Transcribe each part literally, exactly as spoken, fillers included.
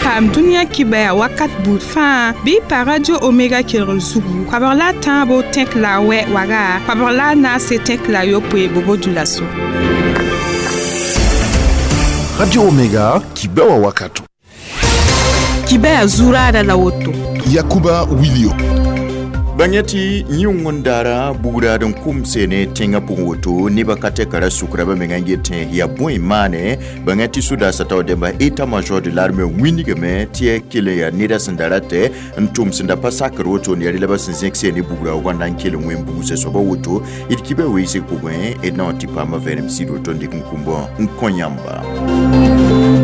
Paam dũniyã kibɛa wakat buud fãa bɩ pa Radio Omega kelgr zugu koabg la a tãabo tẽk la a wɛ waga koabg la a naase tẽk la a yopoe bobo dulaso. Radio Omega, kibɛa wakato. Kibɛa zuraada la woto. Yakuba Wilio. Bãng tɩ yĩng daara bugraad n kʋm seene tẽngã pʋgẽ woto nebã ka tɛka ra sukra ba menga n get yaa bõe maane bãng tɩ sodaasã tao dẽmba état-major de l'armée wĩnigame tɩ ya kell n yaa neda sẽn da ratɛ n tʋm sẽn da pa sakr woto n yaa la ba sẽn zẽk seene bugra wãnda n kell n wẽn bugsa soaba woto d kibã weoosg pʋgẽ d na n tɩ paama vɛrem sɩd woto n dɩk n kũmbã n kõ yãmba.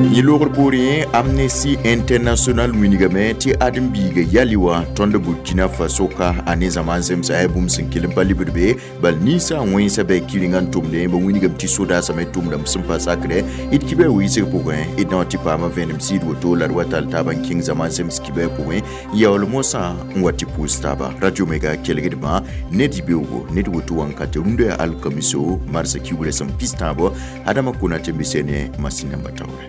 Yẽ loogr poorẽ Amnesty International wĩnigame tɩ ãdem-biiga yali wã tõnd Burkina Faso ka a ne zãma n zemsa yaa bũmb sẽn kell n pa libd be bal ninsã wẽnsa bɩ kɩrenga n tʋmdẽ ba wĩnigame tɩ sodaasame tʋmdame sẽn pa sakrɛ d kibã weoosg pʋgẽ d na n tɩ paama vẽenem sɩd woto la d wa tall taaba n kẽng zãma n zems kibã pʋgẽ n yaool mosã n wa tɩ pʋʋs taaba. Radio Omega kelgdbã ned beoogo ned woto wãnkate rũndã yaa alkamiso marsã kiugrã sẽn pis tãabo Adama Konate n be ne masin namba taoore.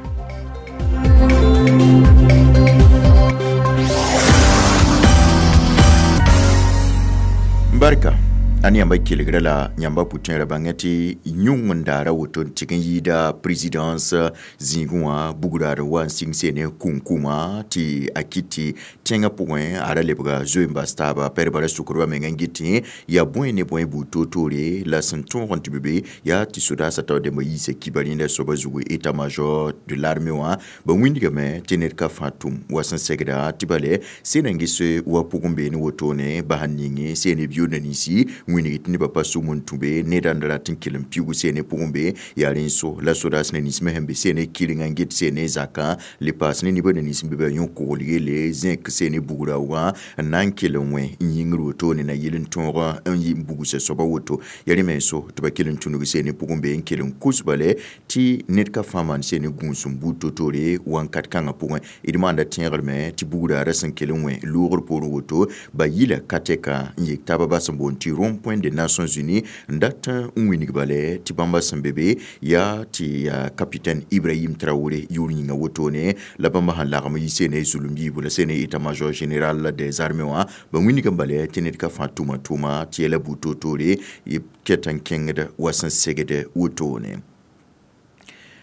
Barka a yãmba kelgra la yãmba pʋtẽerã bãngã tɩ yũng n daara woto n tɩg n yɩɩda présidence zĩigẽ wã bugraad wa n sɩng seene kũnkũmã tɩ a kɩt tɩ tẽngã pʋgẽ a ra lebga zoe n bas taaba pɛdba ra sukr menga n get tɩ yaa bõe ne bõe buud toor-toore la sẽn tõog n tɩ be be yaa tɩ sodaasã tao dẽmba yiisa kiba rẽnda soaba zugu état-major de l'armée wã ba wĩndgame tɩ ned ka fãa tʋm wa sẽn segda tɩ bale sẽn n ges wa pʋgẽ beene wotone bas n ninge seene biooda ninsi wĩnigi tɩ nebã pa sʋm n tũ be ned n rat n kell n piuug seene pʋgẽ be yaa rẽn so la sodaas ne nins me sẽn be seene kɩrengã n get seene zakã le paas ne nebã ne nins n be ba yõ kogl yelle zẽk seene bugra wã n na n kell n wẽ n yĩngr wotone na yel n tõog n yɩ n bugsa soaba woto yaa rẽ me so tɩ ba kell n tũnug seene pʋgẽ be n kell n kos bale tɩ ned ka fãa maan seene gũus n buud to-toore wãnkat kãngã pʋgẽ d maanda tẽegrme tɩ bugra ra sẽn kell n wẽ loogr poorẽ woto ba yila ka tɛka n yek taaba bas n boond tɩ rond point des Nations Unies n dat n wĩnig bale tɩ bãmba sẽn be be yaa tɩ yaa capitaine Ibrahim Traoré yʋʋr yĩnga wotone la bãmba sẽn lagm yɩ seene zulum yiibu la seene état-major général des armées wã ba wĩnigame bale tɩ ned ka fãa tʋma tʋʋma tɩ yɛla buud to-toore ket n kẽngd wa sẽn segd wotone.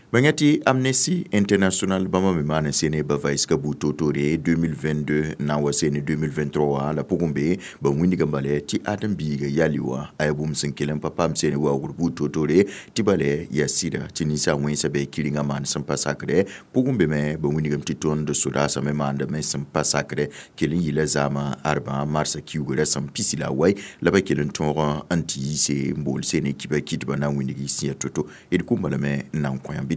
Bãng tɩ Amnesty International bãmba me maan n seene ba vaɩsga buud to-toore deux mille vingt-deux na n wa seene deux mille vingt-trois wã la pʋgẽ be ba wĩnigame bale tɩ ãdem-biiga yali wã a yaa bũmb sẽn kell n pa paam seene waoogr buud to-toore tɩ bale yaa sɩda tɩ ninsã wẽnsa bɩ kɩrengã maan sẽn pa sakrɛ pʋgẽ be me ba wĩnigame tɩ tõnd sodaasã me maandame sẽn pa sakrɛ kell n yɩla zaamã arbã marsã kiugrã sẽn pisi la a wai la ba kell n tõog n tɩ yiise n bool seene kiba kɩtbã na n wĩnig sĩa to-to d kũmba lame n na n kõ yãmb.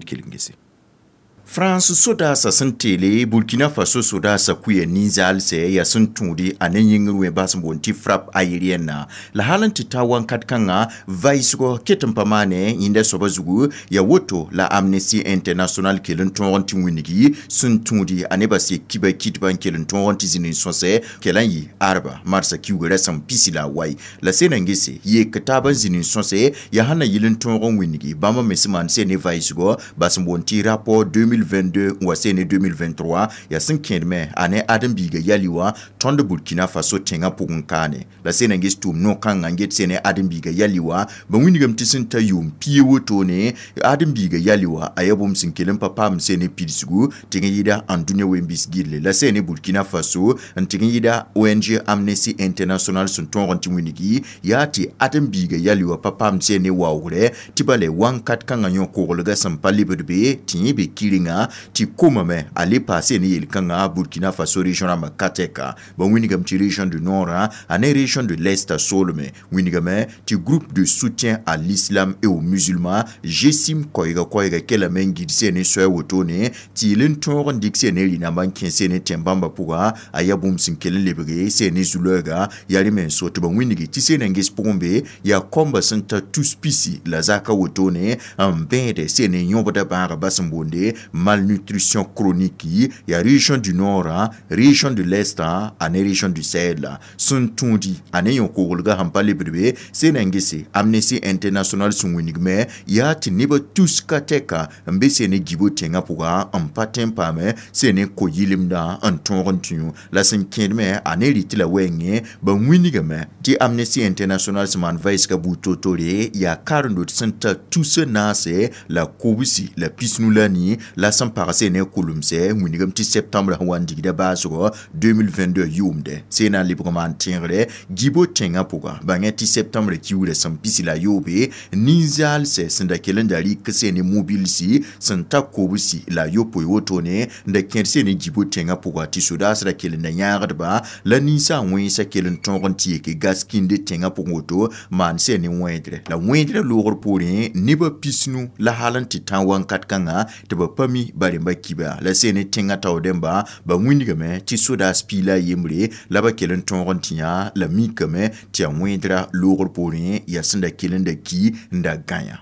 France sodaasã sẽn teele Burkina Faso sodaasã kʋɩ ninzaalsɛ yaa sẽn tũudi a ne yĩngr wẽ bas n boond tɩ frappe aérienne la hal n tɩ ta wãnkat kãngã vaɩsgɔ ket n pa maane yẽnda soaba zugu yaa woto la Amnesty International kell n tõog n tɩ wĩnigi sẽn tũudi a nebã sek kiba kɩtbã n kell n tõog n tɩ zĩnd n sõsɛ kell n yɩ arba marsã kiugrã sẽn pisi la a wai la sẽn n gese yek taab n zĩnd n sõsɛ yaa sẽn na yɩl n tõog n wĩnigi bãmba me sẽn maan sẽn ne vaɩsgɔ bas n boond tɩ rapport deux mille vingt-deux n wa seene deux mille vingt-trois yaa sẽn kẽedme a ne ãdem-biiga yali wã tõnd Burkina Faso tẽngã pʋgẽ kaane la sẽn n ges tʋʋm no-kãngã n get seene ãdem-biiga yali wã ba wĩnigame tɩ sẽn ta yʋʋm pia wotone ãdem-biiga yali wã a yaa bũmb sẽn kell n pa paam seene pidsgu tɩg n yɩɩda ãn dũniyã wẽn-bis gilli la seene Burkina Faso n tɩg n yɩɩda O N G Amnesty International sẽn tõog n tɩ wĩnigi yaa tɩ ãdem-biiga yali wã pa paam seene waoogrɛ tɩ bale wãnkat kãngã yõ koglga sẽn pa lebd be tɩ yẽ be kɩrenga tɩ komame a le paase ne yel-kãngã Burkina Faso région rãmbã ka tɛka ba wĩnigame tɩ région du nord a ne région de l'est soolme wĩnigame tɩ Groupe de soutien à l'islam et aux musulmans GSIM koɛɛga koɛɛga kelame n gid seene soɛ wotone tɩ yel n tõog n dɩk seene rɩ-nambã n kẽ seene tẽn-bãmbã pʋga a yaa bũmb sẽn kell n lebge seene zu-loɛɛga yaa rẽ me n so tɩ ba wĩnigi tɩ seene n ges pʋgẽ be yaa kõmba sẽn ta tus pisi la zaka wotone n bẽede seene yõbda bãaga bas n boonde. Malnutrition chronique yaa région du nord, région de l'est ane région du Sahel sẽn tũudi a ne yõ-koglga sẽn pa lebd be sẽn na n gese Amnesty International sẽn wĩnigme yaa tɩ nebã tus ka tɛka n be sẽn ne gibo tẽngã pʋga n pa tõe n paame sẽn ne ko-yɩlemdã n tõog n tũ la sẽn kẽedme a ne rɩtɩ la wɛɛngẽ ba wĩnigame tɩ Amnesty International sẽn maan vɛɛsgã buud to-tore yaa karen-dot sẽn ta tus naase la kobsi la pisnu la nii la sẽn pag sẽn ne kolmsɛ wĩnigame tɩ septembre sẽn wa n digda baasgɔ deux mille vingt-deux yʋʋmdɛ sẽn na n lebg maan tẽegre gibo tẽngã pʋga bãngẽ tɩ septembre kiuurã sẽn pisi la yoobe nin-zaalsɛ sẽn da kell n da rɩk sẽn ne mobilsi sẽn ta kobsi la yopoe wotone n da kẽed sẽn ne gibo tẽngã pʋga tɩ sodaas ra kell n da yãagdba la ninsã wẽnsa kell n tõog n tɩ yeke gas kĩnde tẽngã pʋgẽ woto maan sẽn ne wẽedrɛ la wẽedrã loogr poorẽ nebã pisnu la hal n tɩ tã wãnkat kãngã tɩ ba pa mi ba rẽmba kiba la sẽn ne tẽngã tao dẽmba ba wĩnigame tɩ sodaas piila a yembre la ba kell n tõog n tɩ yã la mikame tɩ yaa wẽedrã loogr poorẽ yaa sẽn da kell n da ki n da gãyã.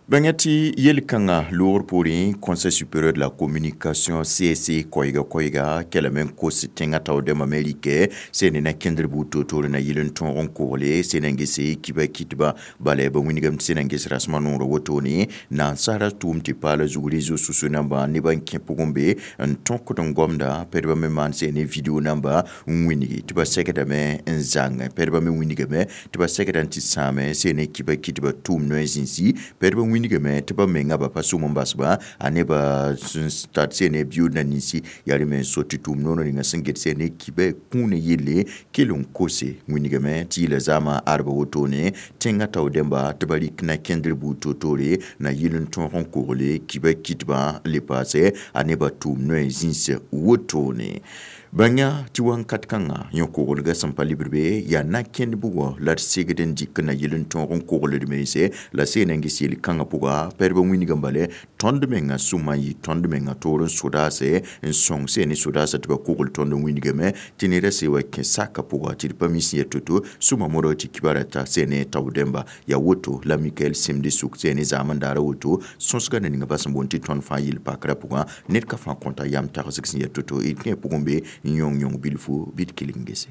Bãngã tɩ yel-kãngã loogr poorẽ Conseil supérieur de la communication C S C koɛɛga koɛɛga kelame n kos tẽngã tao dẽmbã me rɩkɛ sẽn ne na kẽndr buud to-toore na yɩl n tõog n kogle sẽn na n gese kiba kɩtba bala ba wĩnigame tɩ sẽn na n ges rasmã noorã wotone nansara tʋʋm tɩ paala zug réseaux sociaux namba nebã n kẽ pʋgẽ be n tõkd n gomda pɛdbã me maan sẽn ne video namba n wĩnigi tɩ ba segdame n zãng pɛdbã me wĩnigame tɩ ba segda n tɩ sãame sẽn ne kiba kɩtba tʋʋm noɛ zĩnsi pɛdbã wĩnigame tɩ ba menga ba pa sʋm n basba a nebã sẽn tar sẽn ne biʋʋd na ninsi yaa rẽ me n so tɩ tʋʋm noor ninga sẽn get sẽn ne kiba kũunã yelle kell n kose wĩnigame tɩ yɩla zaamã arba wotone tẽngã tao dẽmba tɩ ba rɩk na kẽndr buud to-toore na yɩl n tõog n kogle kiba kɩtbã le paase a nebã tʋʋm noɛ zĩns wotone. Bãngã tɩ wãnkat kãngã yõ-koglgã sẽn pa lebd be yaa na kẽnd bugɔ la d segd n dɩk na yɩl n tõog n kogld mense la sẽn na n ges yel-kãngã pʋga pɛdbã wĩnigã bale tõnd mengã sũmã n yɩ tõnd mengã toor n sodaase n sõng sẽn ne sodaasã tɩ ba kogl tõnd n wĩnigame tɩ neda se wa kẽ saka pʋga tɩ d pa mi sẽn yaa to-to sũmã modg tɩ kibara ta sẽn ne tao dẽmba yaa woto la Mikael Semde sʋk sẽn ne zaam n daara woto sõsgã na ninga ba sẽn boond tɩ tõnd fãa yel-pakrã pʋgã ned ka fãa kõta yam tagsg sẽn yaa to-to d kẽ pʋgẽ be n yõng yõng bilfu bɩ d kelg n gese.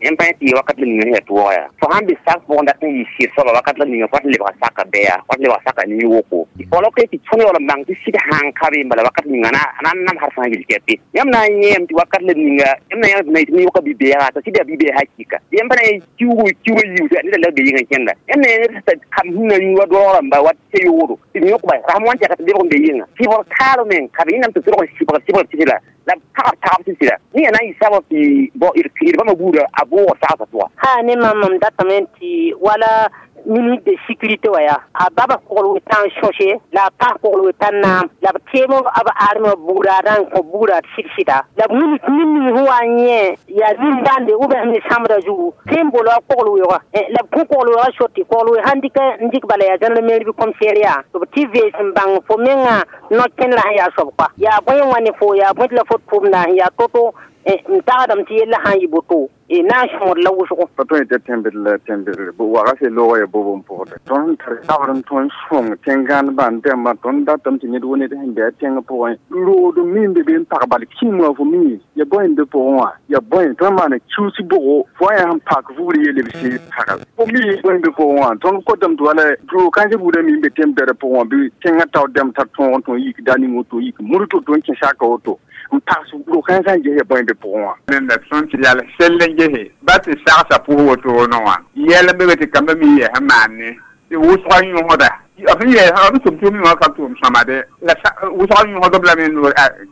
Yẽmb pa tɩ wakat la ninga sẽn yaa tʋʋga yaa fo sãn be sak pʋgẽ dat n yɩ sɩd soaba wakat la ninga fo tɩ lebga saka bɛya fo tɩ lebga saka nin-woko fo la tɩ tõnd yaool n bãng tɩ sɩd sãn ka be n bala wakat ninga na n nam har fãa yel-kɛpe yãmb na n yẽem tɩ wakat la ninga yãmb na yãmb na yetɩ yõka bi-beega t'a sɩd yaa bi-beeg hakɩka yãmb pa na n kiugo kiugo yiusa neda la be yĩngã kẽnda yãmb na yẽ kam sũnã wa doog rãmba wa tɩ yoodo tɩ b yõkba rasem wan tɛka tɩ lebg n be yĩnga sɩbg taal meng ka be yẽnnaam tɩ tʋlg n sɩbg sɩbg tɩ la la tagb tagb tɩ sɩda yẽ yaa na n yɩ sabab tɩ bõ d bãmba buudã a bʋʋg sagsã pʋga. Ha ne mam mam datame tɩ wala ministre de sécurité wa yaa a baba kogl wetã n sõse la a paas kogl wetã naam la b teem b armẽ bugraadã n kõ bugrad sɩd-sɩda la b wilg nin ning sẽn wa n yẽ yaa nin-bãnde ou bien ne sãmbda zugu tõe n bolo a kogl weoogã la b kõ kogl weoogã sot tɩ kogl weoog sãn dɩk n dɩk bala yaa gendarmerie bɩ commissariat tɩ b tɩ vees n bãng fo mengã no-kẽndrã sẽn yaa soab koa yaa bõe n wa ne fo yaa bõe tɩ la fo tʋʋmda sẽn yaa to-to n tagsdame tɩ yella sãn yɩ boto na n sõor la wʋsgo. Pa tõe tɩ tẽmbd la tẽmbdre waga se loogã yaa bob n pʋgda tõnd tar sabr n tõnd sõng tẽn-gãndbã n dẽmbã tõnd datame tɩ ned wo ned sẽn be a tẽngã pʋgẽ rood mi n be be n pag bal kĩm wã fo mi ya bõe n be pʋgẽ wã ya bõe tõnd maana kius bʋgo fo wã yaa sẽn pak vugr yelle b sẽn pagl fo mi bõe n be pʋgẽ wã tõnd kotame tɩ wala roog kãensã buudã mi n be tẽm-bɛrã pʋgẽ wã bɩ tẽngã tao dẽmb tar tõog n tõog yik da ning woto yik mur to-to n kẽ saka woto n pags roog kãensã n ges ya bõe n be pʋgẽ wã. Nenda tõnd tɩ yal sell n gese ba tɩ sagsa pʋs wotone wã yɛl n be be tɩ kambã mi yɛs n maan ne tɩ wʋsgã yõsda b sẽn yɛs b tʋm-tʋʋm wã ka tʋʋm sõma de la wʋsgã yõsdb lame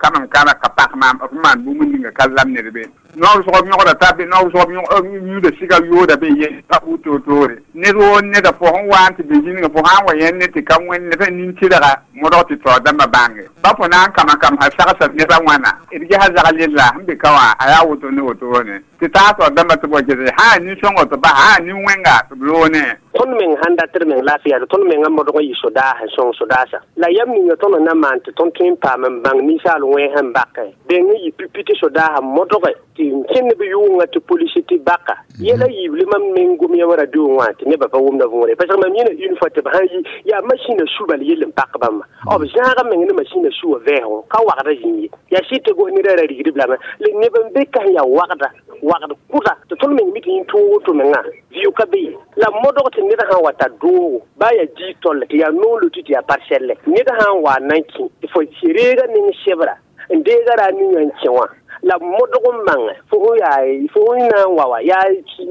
kamam kãna ka pak maam b maan bũmb ninga ka lam ned be noor wʋsg yõgda t'a be noor wʋsg yũuda sɩga yooda be ye pa buud toor-toore ned woo neda fo sẽn wa n tɩ be zĩnigã fo sã n wa yẽnd ne tɩ ka wẽnd ne nin-tɩlga modg tɩ taoor dãmbã bãnge ba fo na n kama kam sã sagsa neda wãna d gesa zag yella sẽn be ka wã a yaa woto ne wotone tɩ taa taoor dãmbã tɩ b wa gese sã yaa nin-sõngo tɩ ba sã yaa nin-wẽnga tɩ b loone. Tõnd meng sãn dat d meng laafɩ yaa tõnd mengã modg n yɩ sodaas n sõng sodaasã la yam ninga tõnd na n maan tɩ tõnd tõe n paam n bãng ninsaal wẽns n bake deng n yɩ pipi tɩ sodaasã modge tɩ n kẽnd b yʋʋngã tɩ polisi tɩ baka yɛla yiible mam meng gom yã radio wã tɩ nebã pa wʋmda võore parce que mam yẽna une fois tɩ b sãn yi yaa masĩnã su bal yell n pak bãmba b zãaga meng ne masĩnã suwa vɛɛgo ka wagda zĩig ye yaa sɩd tɩ gos ned ra rigdb lame la neb n be ka sẽn yaa wagda wagd kʋda tɩ tõnd meng mi tɩ yĩn tõog woto mengã vɩʋ ka be ye la modg tɩ ned sã n wa tar doogo baa yaa diig tolle tɩ yaa noor tɩ tɩ yaa parsɛlle ned sã n wa n na n kẽ tɩ fo reega ning sebra n deega ra ninga n kẽ wã la modg n mãnge fo sẽn yaa fo sẽn na n wa wa yaa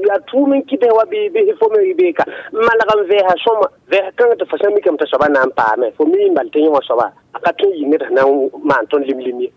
yaa tʋʋm n kɩt wa bɩ bɩ fo me beeka n malg n vɛɛsa sõma vɛɛs kãngã tɩ fo sã n mikame tɩ soaba na n paame fo mi n bal tɩ yẽ wã soaba a ka tõe n yɩ ned sẽn na n maan tõnd lim-lim ye.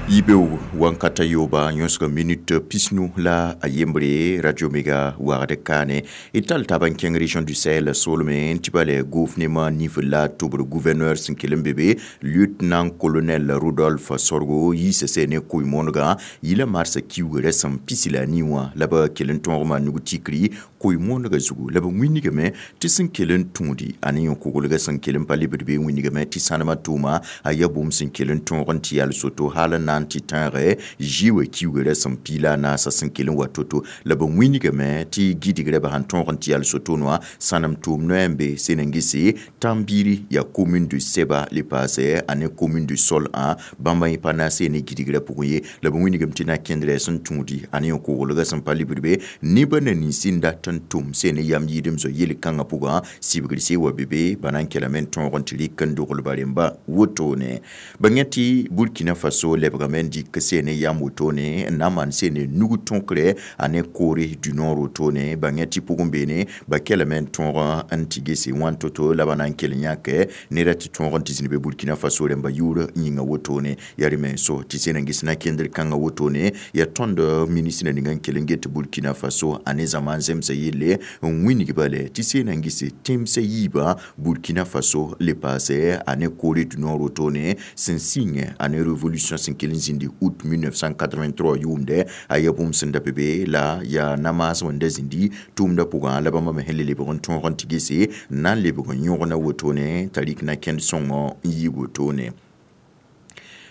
Yibeoog wankata yoba yõsg minute pisnu la a yembre Radio Mega wagd kaane d tall taab n kẽng région du Sahel solme n tɩ ba le gouvernement nif la tʋbr gouverneur sẽn kell n be be lieutenant colonel Rodolphe Sorgo yiisa sɛ ne koe-moonegã yila marsã kiugrã sẽn pisi la a nii wã la b kell n tõogmã nug tikri koe-moonegã zugu la b wĩnigame tɩ sẽn kell n tũudi a ne yõ-koglgã sẽn kell n pa lebd be wĩnigame tɩ sãnemã tʋʋma a yaa bũmb sẽn kell n tõog n tɩ yal soto hal n na n tɩ tãage zɩ-wã kiugrã sẽn piila a naasã sẽn kell n wa to-to la b wĩnigame tɩ gɩdgrã b sãn tõog n tɩ yal soto wã sãnem tʋʋm noɛ n be sẽn n gese Tambiri yaa commune de Seba le paase a ne commune de Sol ã bãmba yẽ pa naase ne gɩdgrã pʋgẽ ye la b wĩnigame tɩ na kẽndrã sẽn tũudi a ne yõ-koglgã sẽn pa lebd be nebã na nins n dat n tʋm sẽn ne yam yɩɩdem zoa yel-kãngã pʋgã sibgr se wa be be ba na n kelame n tõog n tɩ rɩk n doglba rẽmba wotone ba yẽ tɩ Burkina Faso lebgame n dɩk sẽn ne yam wotone n na n maan sẽn ne nug tõkre a ne Corée du Nord wotone ba yẽ tɩ pʋgẽ beene ba kelame n tõog n tɩ gese wãn to-to la ba na n kell n yãke neda tɩ tõog n tɩ zĩnd be Burkina Faso rẽmba yʋʋr yĩnga wotone yaa rẽ menso tɩ sẽn n ges na kẽndr kãngã wotone yaa tõnd ministrã ninga n kell n get Burkina Faso a ne zãma n zemsa yelle n wĩnigba le tɩ sẽn n gese tẽmsã yiibã Burkina Faso le paase a ne Corée du Nord wotone sẽn sĩng a ne révolution sẽn kell n zĩndi août mille neuf cent quatre-vingt-trois yʋʋmdɛ a yaa bũmb sẽn da be be la yaa namaas wẽnda zĩndi tʋʋmdã pʋgã la bãmba me sẽn le lebg n tõog n tɩ gese n na n lebg n yõgna wotone t'a rɩk na kẽnd sõngõ n yi wotone.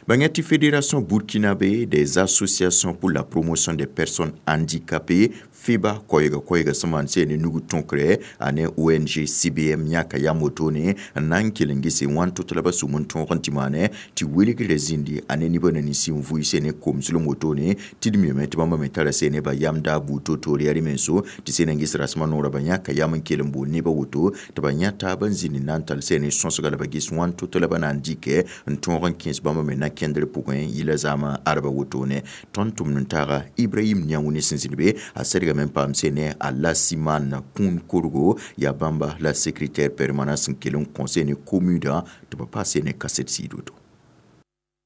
Bangati Fédération burkinabé des associations pour la promotion des personnes handicapées FEBA koɛɛga koɛɛga sẽn maan sẽn ne nug tõkre a ne O N G C B M yãka yam wotone n na n kell n gese wãn to-to la ba sʋm n tõog n tɩ maane tɩ welgrã zĩndi a ne nebã na nins n vʋɩ sẽn ne komslem wotone tɩ d miame tɩ bãmba me tara sẽn ne ba yam daa buud to-toore yaa rẽ menso tɩ sẽn n ges rasmã noorã ba yãka yam n kell n bool nebã woto tɩ ba yã taab n zĩnd n na n tall sẽn ne sõsga la ba ges wãn to-to la ba na n dɩkɛ n tõog n kẽes bãmba me na kẽndr pʋgẽ yɩla zaamã arba wotone tõnd tʋmd n taaga Ibrahim Niaoune sẽn zĩnd be a sɛdgame n paam sẽn ne Alassiman Kũun Korgo yaa bãmba la secrétaire permanent sẽn kell n kõ sẽn ne commune tɩ ba paas sẽn ne kaset sɩɩd woto.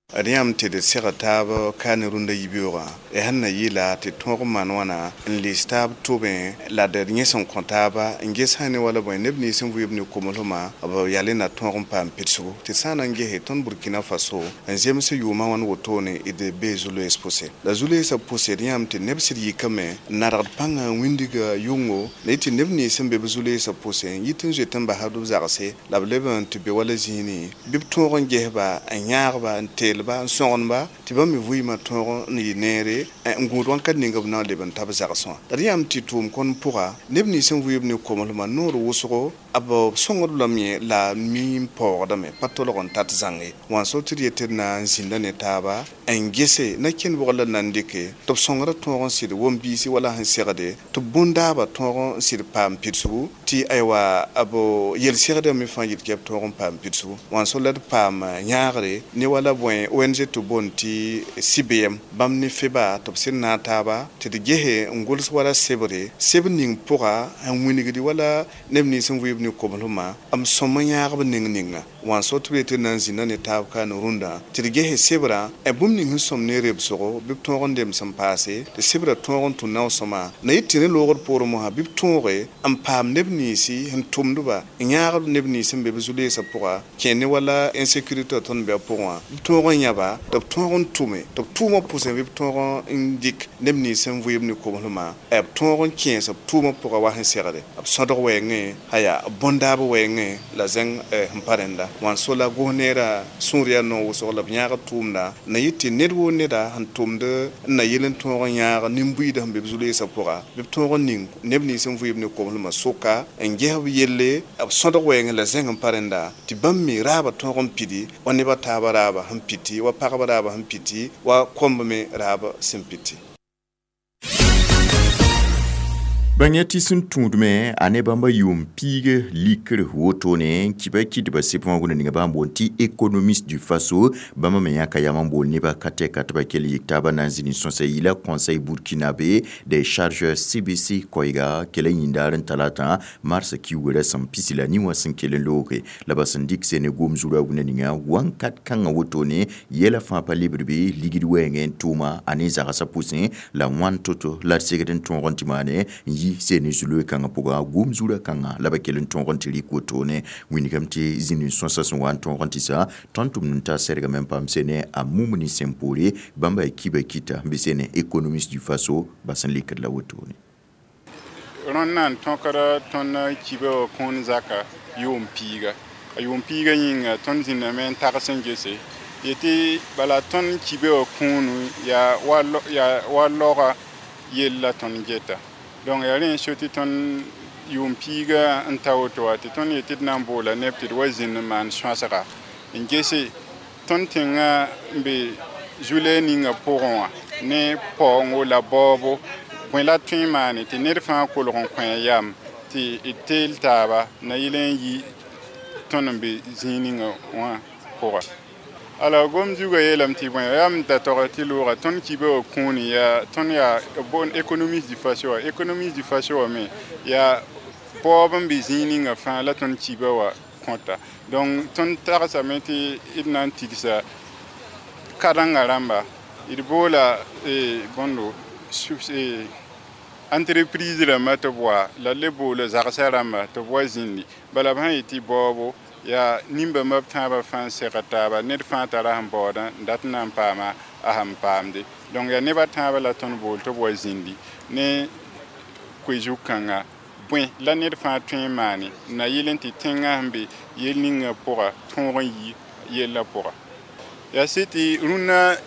D yãmb tɩ d seg taab ka ne rũndã yibeoogã d sẽn na yɩɩla tɩ tõog n maan wãna n lis taab tʋbẽ la d yẽ sẽn kõ taaba n ges sã ne wala bõe neb nins n vɩɩb ne komslmã b yale na tõog n paam pidsgo tɩ sã n na n gese tõnd Burkina Faso n zems yʋʋmã wãn wotone d bee zu-loees pʋse la zu-loeesã pʋse d yãmb tɩ neb sɩd yikame n nadgd pãngã n wĩndga yʋngo la yɩ tɩ neb nins n be b zu-loeesã pʋse n yit n zoet n basd b zagse la b leb n tɩ be wala zĩini bɩ b tõog n gesba n yãagba n teel ba n sõgenba tɩ bãmb me vɩɩmã tõog n yɩ neere n gũud wãnkat ning b na n leb n ta b zagsẽ wã la d yãmb tɩ tʋʋm kõn pʋga neb nins n vɩɩb ne komslmã noor wʋsgo b sõngd lame la mi n paoogdame pa tolg n tat zãng ye wãn so tɩ d yet tɩ d na n zĩnda ne taaba n gese na kẽnd bʋgr la na n dɩke tɩ b sõngrã tõog n sɩd wom-biisi wala sẽn segde tɩ bõn-daabã tõog n sɩd paam pidsgu tɩ aywa b yel-segdã me fãa yit b tõog n paam pidsgu wãn so la d paam yãagre ne wala bõe O N G tɩ boond tɩ C B M bãmb ne FEBA tɩ b sẽn naag taaba tɩ d gese n gʋls wala sebre seb ning pʋga n wĩnigdi wala neb nins n vɩɩb ne komslmã m sõm n yãagb ning ninga wãn so tɩ b yetɩ na n zĩnda ne taab ka ne rũndã tɩ d gese sebrã bũmb ning sẽn sõm ne rebsgo bɩ b tõog n lems n paase tɩ sebrã tõog n tũ nao-sõma na yɩ tɩ rẽ loogd poorẽ mosã bɩ b tõoge n paam neb ninsi sẽn tʋmdba n yãagb neb nins n be b zu-loeesã pʋga kẽ ne wala insécurité tõnd be a pʋgẽ wã b tõog n yãba tɩ b tõog n tʋme tɩ b tʋʋmã pʋsẽ bɩ b tõog n dɩk neb nins sẽn vɩɩm ne komslmã b tõog n kẽes b tʋʋmã pʋga wa sẽn segde b sõdg wɛɛngẽ a yaa bõn-daab wɛɛngẽ la zẽng sẽn pa rẽnda wãn so la gos neerã sũur yaa noog wʋsg la b yãag tʋʋmda na yɩ tɩ ned woo neda sẽn tʋmd n na yel n tõog n yãag nin-buiidã sẽn be b zu-loeesã pʋga bɩ b tõog n ning neb nins sẽn vɩɩm ne komslmã sʋka n ges b yelle b sõdg wɛɛngẽ la zẽng n pa rẽnda tɩ bãmb me raabã tõog n pidi wa nebã taabã raabã sẽn piti wa pagba raabã sẽn piti wa kõmb me raab sẽn piti. Bãng tɩ sẽn tũudme a ne bãmba yʋʋm piig likr wotone kiba kɩdba sɩb wã ninga bãmb boond tɩ économiste du Faso bãmba me yãka yam n bool nebã ka tɛka tɩ ba kell yik taabã na n zĩni sõsa yɩla Conseil burkinabé des chargeurs C B C koɛɛga kell n yĩndaar n talata mars kiugrã sẽn pisi la nin wã sẽn kell n looge la ba sẽn dɩk sene gom zurã wũnã ninga wãnkat kãngã wotone yɛla fãa pa lebd be ligd wɛɛngẽ n tʋʋma a ne zagsã pʋsẽ la wãn to-to la d segd n tõog n tɩ maane n yi sene zuloe kãngã pʋga gom zurã kãngã la ba kell n tõog n tɩ rɩk wotone wĩndgame tɩ zĩnd n sõsa sẽn wa n tõog n tɩ sa tõnd tʋmd n ta sɛrgame n paam sene a mumni sẽn poore bãmba y kiba kita n be sene économiste du Faso ba sẽn lekd la wotone. Rõnd na n tõkda tõnd kiba wã kũun zaka yʋʋm piiga a yʋʋm piiga yĩnga tõnd zĩndame n tags n gese yetɩ bala tõnd kiba wã kũunu yaa wa laoga yell la tõnd geta. Donc yaa rẽ n so tɩ tõnd yʋʋm piiga n ta woto wã tɩ tõnd yetɩ d na n boola neb tɩ d wa zĩnd n maan sõasga n gese tõnd tẽngã n be zu-lɛɛg ninga pʋgẽ wã ne paoongo la baoobo bõe la tõe n maane tɩ ned fãa kolg n kõ a yam tɩ d teel taaba na yɩl n yi tõnd n be zĩig ninga wã pʋga. Alors gom zugã yeelame tɩ bõe yaa m da tog tɩ loogã tõnd kiba wã kũuni yaa tõnd yaa boond économiste du Faso wã économiste du Faso wã me yaa paoob n be zĩig ninga fãa la tõnd kiba wã kõta. Donc tõnd tagsame tɩ d na n tigsa kadengã rãmba d boola bõndo entreprise rãmba tɩ b wa la d le boola zagsã rãmba tɩ b wa zĩndi bala b sã yetɩ baoobo yaa nin-bãmba b tãabã fãa n segd taaba ned fãa tara sẽn baoodã n dat n na n paama a sẽn paamde. Donc yaa nebã tãabã la tõnd bool tɩ b wa zĩndi ne koe-zug-kãnga bõe la ned fãa tõe n maane na yɩl n tɩ tẽngã sẽn be yel ninga pʋga tõog n yi yellã pʋga. Yaa sɩ tɩ rũnnã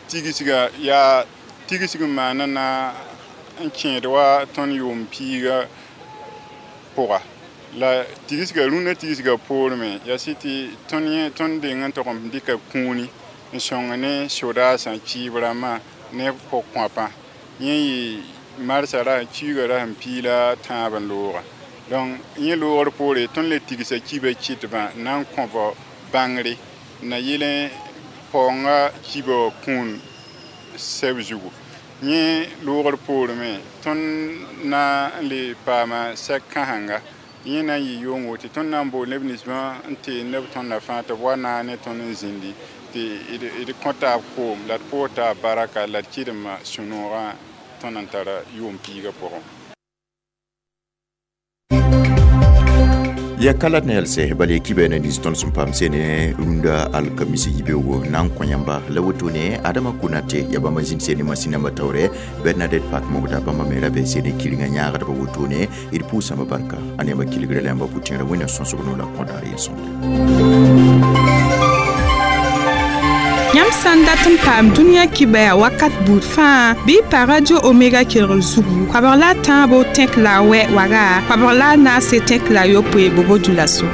tigsga yaa tigsg n maana na n kẽed wa tõnd yʋʋm piiga pʋga. La tigsga rũnnã tigsga poor me yaa sɩ tɩ tõnd yẽ tõnd deng n tog n dɩka kũuni n sõng ne sodaasã kiib rãmbã ne pʋg-kõapã yẽ yɩ marsã ra kiuugã ra sẽn piila tãab n looga. Donc yẽ loogr poore tõnd le tigsa kiba kɩtbã na n kõb bãngre na yɩl n paoongã kiba wã kũun sɛb zugu. Yẽ loogr poor me tõnd na n le paama sɛk kãsenga yẽ na n yɩ yʋngo tɩ tõnd na n bool neb ninsbã n tee neb tõndã fãa tɩ b wa naag ne tõnd n zĩndi tɩ d kõ taab koom la d poog taab baraka la d kɩdemã sũ-noogã tõnd n tara yʋʋm piigã pʋgẽ. Ya kala na yelse bal kibe na nins tõnd sẽn paam sene rũndã alkamisi yibeoogo na n kõ yãmba la wotone Adama Konate ya bãmba zĩnd sene masĩnãmbã taoore Bernadette Pak mogda bãmba me ra be sene kɩrenga yãagdbã wotone d pʋʋsãmba barka a ne yãmba kelgrã la yãmba pʋtẽerã wẽnna sõsg no la kõdaar yel-sõmde. Yãmb sã n dat n paam dũniyã kibaya wakat buud fãa bɩ pa Radio Omega kelgr zugu koabg la a tãabo tẽk la a wɛ waga koabg la a naase tẽk la a yopoe bobo dulaso.